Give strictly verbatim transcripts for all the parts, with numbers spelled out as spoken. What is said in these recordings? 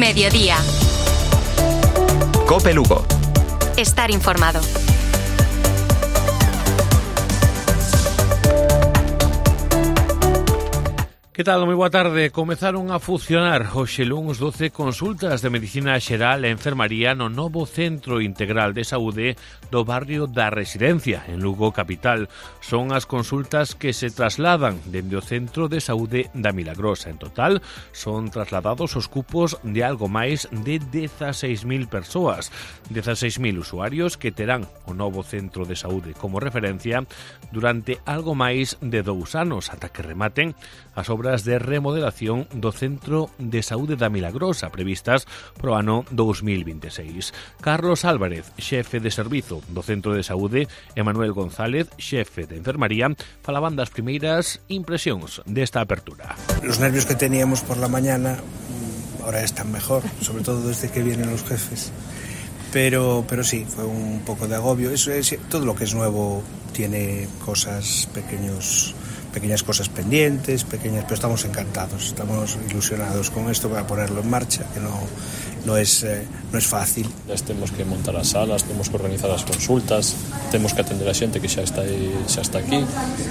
Mediodía. COPE Lugo. Estar informado. Que tal? Moi boa tarde. Comezaron a funcionar hoxe luns doce consultas de medicina xeral e enfermaría no novo Centro Integral de Saúde do barrio da Residencia, en Lugo capital. Son as consultas que se trasladan dende o Centro de Saúde da Milagrosa. En total, son trasladados os cupos de algo máis de dezaseis mil persoas. dezaseis mil usuarios que terán o novo Centro de Saúde como referencia durante algo máis de dous anos, ata que rematen as obras de remodelación do Centro de Saúde da Milagrosa previstas pro ano dous mil veintiséis. Carlos Álvarez, xefe de servizo do Centro de Saúde, e Manuel González, xefe de enfermaría, falaban das primeiras impresións desta apertura. Los nervios que teníamos por la mañana ahora están mejor, sobre todo desde que vienen los jefes. Pero, pero sí, fue un poco de agobio. Eso es, todo lo que es nuevo tiene cosas, pequeños, pequeñas cosas pendientes, pequeñas, pero estamos encantados, estamos ilusionados con esto para ponerlo en marcha, que no, no, es, eh, no es fácil. Temos que montar as salas, temos que organizar as consultas, temos que atender a xente que xa está, aí, xa está aquí,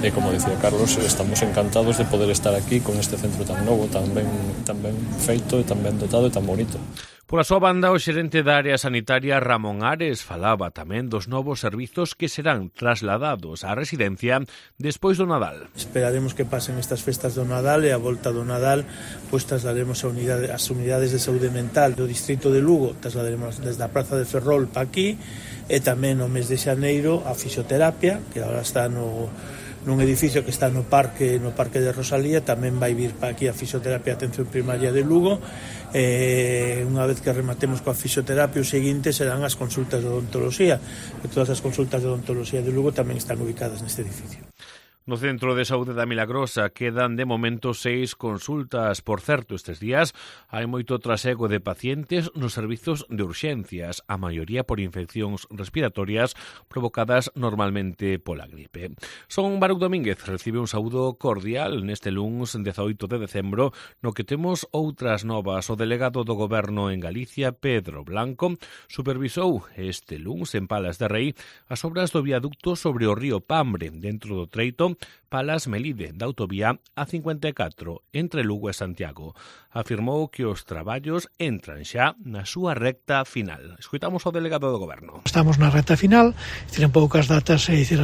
e como dicía Carlos, estamos encantados de poder estar aquí con este centro tan novo, tan ben, tan ben feito, e tan ben dotado e tan bonito. Pola súa banda, o xerente da área sanitaria Ramón Ares falaba tamén dos novos servizos que serán trasladados á residencia despois do Nadal. Esperaremos que pasen estas festas do Nadal e a volta do Nadal pois trasladaremos a unidade, as unidades de saúde mental do distrito de Lugo, trasladaremos desde a Praza de Ferrol para aquí, e tamén no mes de xaneiro a fisioterapia, que agora está no nun edificio que está no parque no parque de Rosalía, tamén vai vir para aquí a fisioterapia e atención primaria de Lugo. Eh, unha vez que rematemos coa fisioterapia, o seguinte serán as consultas de odontoloxía, e todas as consultas de odontoloxía de Lugo tamén están ubicadas neste edificio. No Centro de Saúde da Milagrosa quedan de momento seis consultas. Por certo, estes días hai moito trasego de pacientes nos servizos de urxencias, a maioría por infeccións respiratorias provocadas normalmente pola gripe. Son Baruc Domínguez recibe un saúdo cordial neste luns dezaoito de decembro, no que temos outras novas. O delegado do Goberno en Galicia, Pedro Blanco, supervisou este luns en Palas de Rei as obras do viaducto sobre o río Pambre, dentro do treito Palas-Melide, da autovía A cincuenta e catro, entre Lugo e Santiago. Afirmou que os traballos entran xa na súa recta final. Escoitamos o delegado do Goberno. Estamos na recta final, dicir, en poucas datas, é dicir,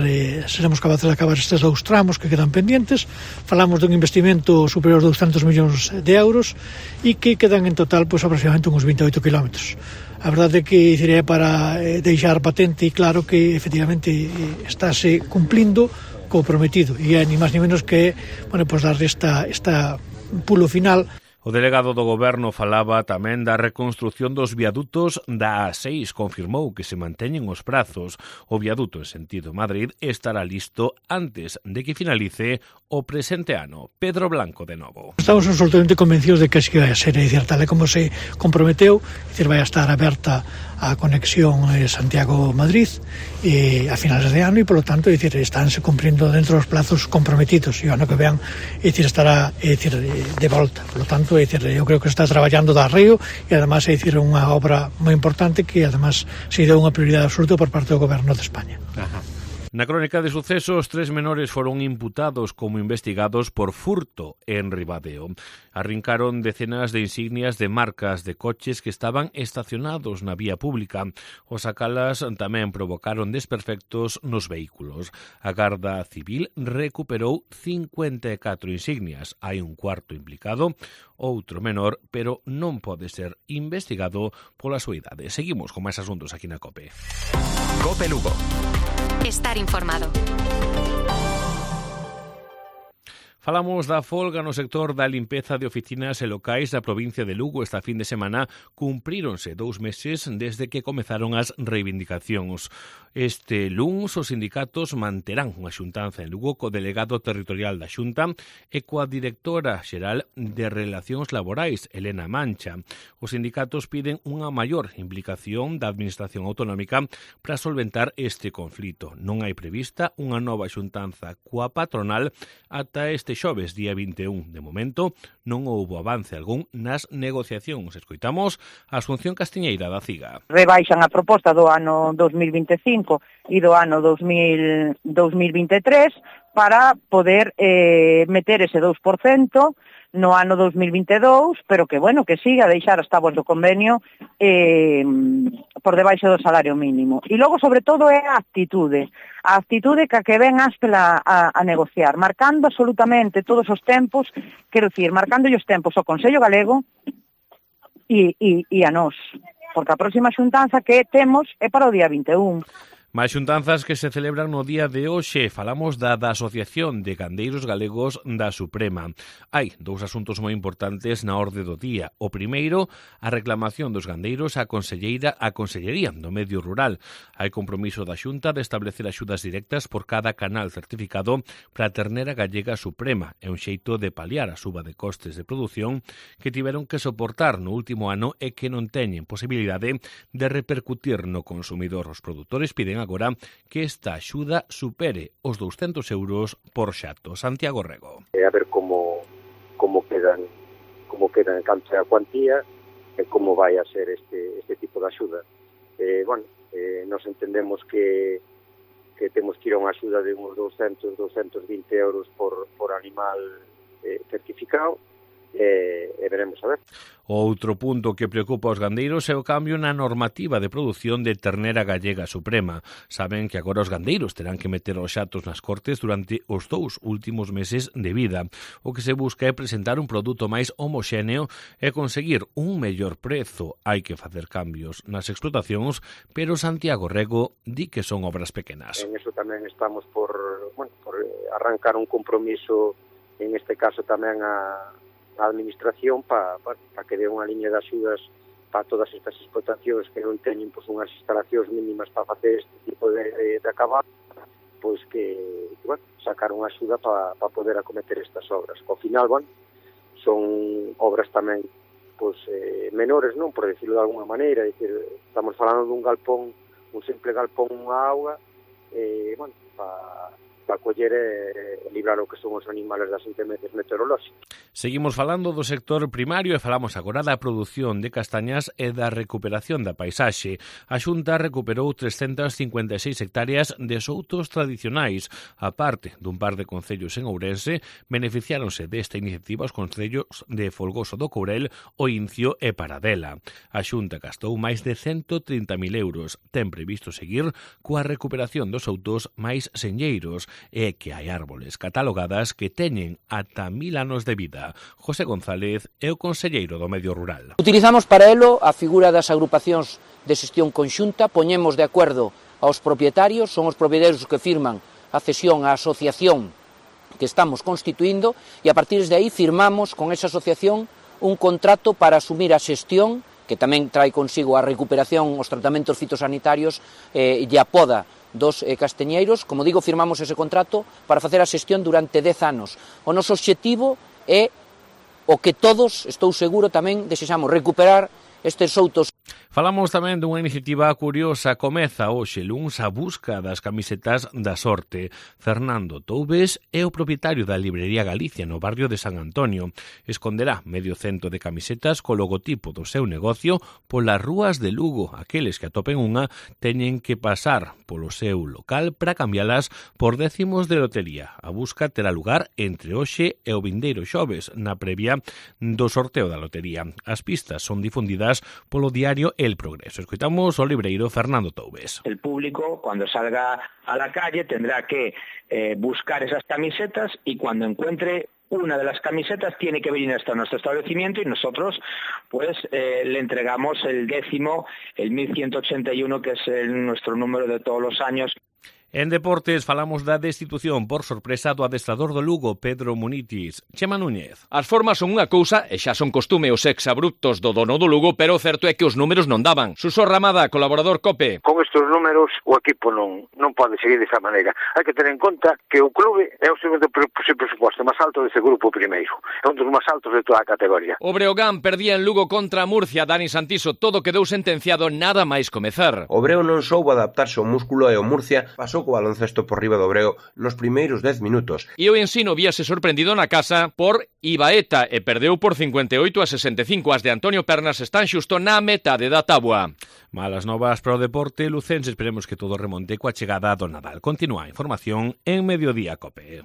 seremos capaces de acabar estes dous tramos que quedan pendientes. Falamos dun investimento superior a douscentos millóns de euros e que quedan en total pois, aproximadamente uns vinte e oito kilómetros. A verdade é que dicir, é para deixar patente e claro que efectivamente estáse cumplindo co prometido, e é ni máis ni menos que, bueno, pues darle esta, esta pulo final. O delegado do Goberno falaba tamén da reconstrucción dos viadutos da A seis. Confirmou que se manteñen os prazos. O viaduto en sentido Madrid estará listo antes de que finalice o presente ano. Pedro Blanco de novo. Estamos absolutamente convencidos de que así vai a ser, é dicir, tal e como se comprometeu, é dicir, vai a estar aberta a conexión Santiago-Madrid e a finales de ano, e polo tanto, é dicir, estánse cumprindo dentro dos plazos comprometidos, e o ano que vean, é dicir, estará é dicir, de volta. Polo tanto, é dicir, eu creo que está traballando da Río, e además é dicir, unha obra moi importante que además se deu unha prioridade absoluta por parte do Goberno de España. Ajá. Na crónica de sucesos, tres menores foron imputados como investigados por furto en Ribadeo. Arrincaron decenas de insignias de marcas de coches que estaban estacionados na vía pública. Os sacalas tamén provocaron desperfectos nos vehículos. A Garda Civil recuperou cincuenta e catro insignias. Hai un cuarto implicado, outro menor, pero non pode ser investigado pola súa idade. Seguimos con máis asuntos aquí na COPE. COPE Lugo. Estar informado. Falamos da folga no sector da limpeza de oficinas e locais da provincia de Lugo. Esta fin de semana cumpríronse dous meses desde que comezaron as reivindicacións. Este luns os sindicatos manterán unha xuntanza en Lugo co delegado territorial da Xunta e coa directora xeral de Relacións Laborais, Elena Mancha. Os sindicatos piden unha maior implicación da administración autonómica para solventar este conflito. Non hai prevista unha nova xuntanza coa patronal ata este xoves, día vinte e un. De momento, non houbo avance algún nas negociacións. Escoitamos a Asunción Castiñeira da CIGA. Rebaixan a proposta do ano dos mil vinte e cinco e do ano dos mil vinte e tres para poder eh, meter ese dous por cento no ano dos mil vinte e dous, pero que, bueno, que siga a deixar as táboas do convenio eh, por debaixo do salario mínimo. E logo, sobre todo, é a actitude. A actitude que a que ven Aspela a, a negociar, marcando absolutamente todos os tempos, quero dicir, marcando os tempos ao Consello Galego e, e, e a nós, porque a próxima xuntanza que temos é para o día vinte e un. Máis xuntanzas que se celebran no día de hoxe. Falamos da, da Asociación de Gandeiros Galegos da Suprema. Hai dous asuntos moi importantes na orde do día. O primeiro, a reclamación dos gandeiros á Conselleira a Consellería do Medio Rural. Hai compromiso da Xunta de establecer axudas directas por cada canal certificado para a ternera gallega suprema. É un xeito de paliar a suba de costes de produción que tiveron que soportar no último ano e que non teñen posibilidade de repercutir no consumidor. Os produtores piden agora que esta axuda supere os douscentos euros por xato. Santiago Rego. A ver como como quedan como quedan canto a cuantía e como vai a ser este este tipo de axuda. Eh, bueno, eh, nos entendemos que que temos que ir a unha axuda de uns doscientos, doscientos vinte euros por por animal eh, certificado. E, e veremos a ver. Outro punto que preocupa aos gandeiros é o cambio na normativa de produción de ternera gallega suprema. Saben que agora os gandeiros terán que meter os xatos nas cortes durante os dous últimos meses de vida. O que se busca é presentar un produto máis homoxéneo e conseguir un mellor prezo. Hai que facer cambios nas explotacións, pero Santiago Rego di que son obras pequenas. En eso tamén estamos por, bueno, por arrancar un compromiso, en este caso tamén a a administración para pa, pa que dé unha liña de axudas para todas estas explotacións que non teñen pois, unhas instalacións mínimas para facer este tipo de, de, de acabar, pois que, que bueno, sacar unha axuda para pa poder acometer estas obras. Ao final, bueno, son obras tamén pois, eh, menores, non, por decirlo de alguna maneira, é dicir, estamos falando dun galpón, un simple galpón, unha auga, eh, bueno, para para coller e librar o que son os animales das inclemencias meteorolóxicas. Seguimos falando do sector primario e falamos agora da produción de castañas e da recuperación da paisaxe. A Xunta recuperou trescentas cincuenta e seis hectáreas de soutos tradicionais. A parte dun par de concellos en Ourense, beneficiáronse desta iniciativa os concellos de Folgoso do Courel, O Incio e Paradela. A Xunta gastou máis de cento trinta mil euros. Ten previsto seguir coa recuperación dos soutos máis señeiros e que hai árboles catalogadas que teñen ata mil anos de vida. José González é o conselleiro do Medio Rural. Utilizamos para elo a figura das agrupacións de xestión conxunta, poñemos de acordo aos propietarios, son os propietarios que firman a cesión á asociación que estamos constituindo e a partir de aí firmamos con esa asociación un contrato para asumir a xestión que tamén trae consigo a recuperación, os tratamentos fitosanitarios eh, e a poda dos eh, casteñeiros. Como digo, firmamos ese contrato para facer a xestión durante dez anos. O noso obxectivo é o que todos, estou seguro, tamén desexamos recuperar estes soutos. Falamos tamén dunha iniciativa curiosa. Comeza hoxe luns a busca das camisetas da sorte. Fernando Toubes é o propietario da librería Galicia no barrio de San Antonio. Esconderá medio cento de camisetas co logotipo do seu negocio polas rúas de Lugo. Aqueles que atopen unha teñen que pasar polo seu local para cambialas por décimos de lotería. A busca terá lugar entre hoxe e o vindeiro xoves, na previa do sorteo da lotería. As pistas son difundidas polo diario El Progreso. Escoitamos ao libreiro Fernando Toubes. El público, cuando salga a la calle, tendrá que eh, buscar esas camisetas y cuando encuentre una de las camisetas tiene que venir hasta nuestro establecimiento y nosotros pues eh, le entregamos el décimo, el mil ciento ochenta y uno, que es el, nuestro número de todos los años. En deportes falamos da destitución por sorpresa do adestrador do Lugo, Pedro Munitis. Chema Núñez. As formas son unha cousa e xa son costume os exabruptos do dono do Lugo, pero o certo é que os números non daban. Suso Ramada, colaborador COPE. Con estes números o equipo non non pode seguir desa maneira. Hai que ter en conta que o clube é o segundo presuposto máis alto dese grupo primeiro. É un dos máis altos de toda a categoría. O Breogán perdía en Lugo contra Murcia. Dani Santiso, todo quedou sentenciado nada máis comezar. O Breo non soubo adaptarse ao músculo e o Murcia pasou pasou co baloncesto por riba do Breo nos primeiros dez minutos. E o Ensino víase sorprendido na casa por Ibaeta e perdeu por cincuenta e oito a sesenta e cinco. As de Antonio Pernas están xusto na metade da táboa. Malas novas para o deporte lucense, esperemos que todo remonte coa chegada do Nadal. Continúa a información en Mediodía Cope.